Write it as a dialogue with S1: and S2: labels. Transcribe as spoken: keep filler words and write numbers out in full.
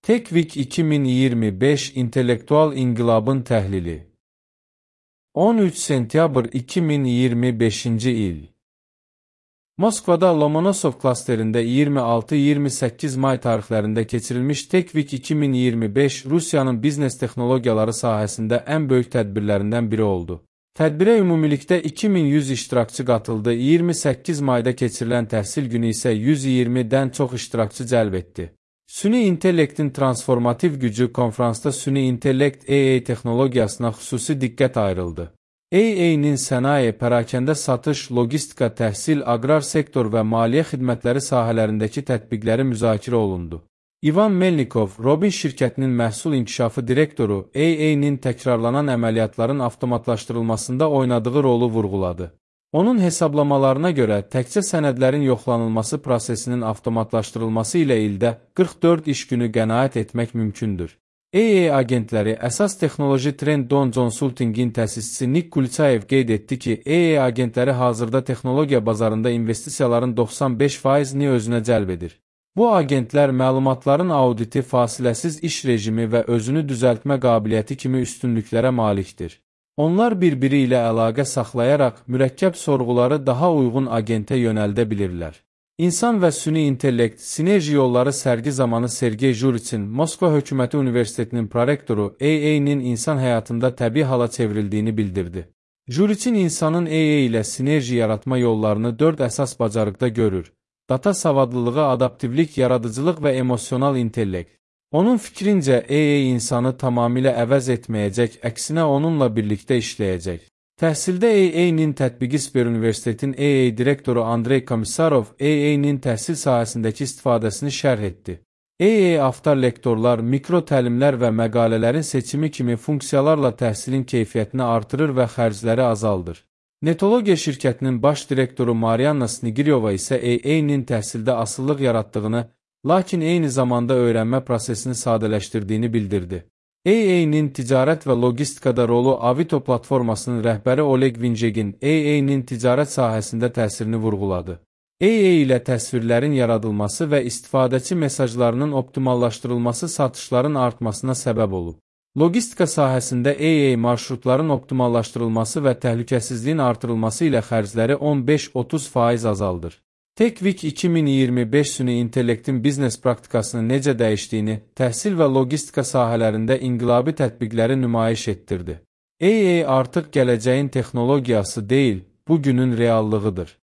S1: TechWeek iki min iyirmi beş İntellektual İnqilabın Təhlili on üç sentyabr iki min iyirmi beşinci il Moskvada Lomonosov klasterində iyirmi altı iyirmi səkkiz may tarixlərində keçirilmiş TechWeek iki min iyirmi beş Rusiyanın biznes texnologiyaları sahəsində ən böyük tədbirlərindən biri oldu. Tədbirə ümumilikdə iki min yüz iştirakçı qatıldı, iyirmi səkkiz mayda keçirilən təhsil günü isə yüz iyirmidən çox iştirakçı cəlb etdi. Süni intellektin transformativ gücü konfransda süni intellekt A I texnologiyasına xüsusi diqqət ayrıldı. A I-nin sənaye, pərakəndə satış, logistika, təhsil, aqrar sektor və maliyyə xidmətləri sahələrindəki tətbiqləri müzakirə olundu. İvan Melnikov, Robin şirkətinin məhsul inkişafı direktoru, A I-nin təkrarlanan əməliyyatların avtomatlaşdırılmasında oynadığı rolu vurğuladı. Onun hesablamalarına görə təkcə sənədlərin yoxlanılması prosesinin avtomatlaşdırılması ilə ildə qırx dörd iş günü qənaət etmək mümkündür. A I agentləri əsas texnoloji Trend Don Consulting'in təsisçisi Nick Kulçayev qeyd etdi ki, A I agentləri hazırda texnologiya bazarında investisiyaların doxsan beş faizini özünə cəlb edir. Bu agentlər məlumatların auditi, fasiləsiz iş rejimi və özünü düzəltmə qabiliyyəti kimi üstünlüklərə malikdir. Onlar bir-biri ilə əlaqə saxlayaraq mürəkkəb sorğuları daha uyğun agentə yönəldə bilirlər. İnsan və süni intellekt sinerji yolları sərgi zamanı Sergey Juriçin, Moskva Hökuməti Universitetinin prorektoru A I-nin insan həyatında təbii hala çevrildiyini bildirdi. Juriçin insanın A I ilə sinerji yaratma yollarını dörd əsas bacarıqda görür: data savadlılığı, adaptivlik, yaradıcılıq və emosional intellekt. Onun fikrincə, A I insanı tamamilə əvəz etməyəcək, əksinə onunla birlikdə işləyəcək. Təhsildə A I-nin tətbiqi Sber Universitetin A I direktoru Andrey Komissarov A I-nin təhsil sahəsindəki istifadəsini şərh etdi. A I aftar lektorlar, mikro təlimlər və məqalələrin seçimi kimi funksiyalarla təhsilin keyfiyyətini artırır və xərcləri azaldır. Netologiya şirkətinin baş direktoru Marianna Snigiryova isə A I-nin təhsildə asıllıq yaratdığını, lakin eyni zamanda öyrənmə prosesini sadələşdirdiyini bildirdi. A I-nin ticarət və logistikada rolu Avito platformasının rəhbəri Oleg Vinjegin A I-nin ticarət sahəsində təsirini vurğuladı. A I ilə təsvirlərin yaradılması və istifadəçi mesajlarının optimallaşdırılması satışların artmasına səbəb olub. Logistika sahəsində A I marşrutların optimallaşdırılması və təhlükəsizliyin artırılması ilə xərcləri on beş otuz faiz azaldır. TechWeek iki min iyirmi beş süni intellektin biznes praktikasını necə dəyişdiyini, təhsil və logistika sahələrində inqilabi tətbiqləri nümayiş etdirdi. A I artıq gələcəyin texnologiyası deyil, bugünün reallığıdır.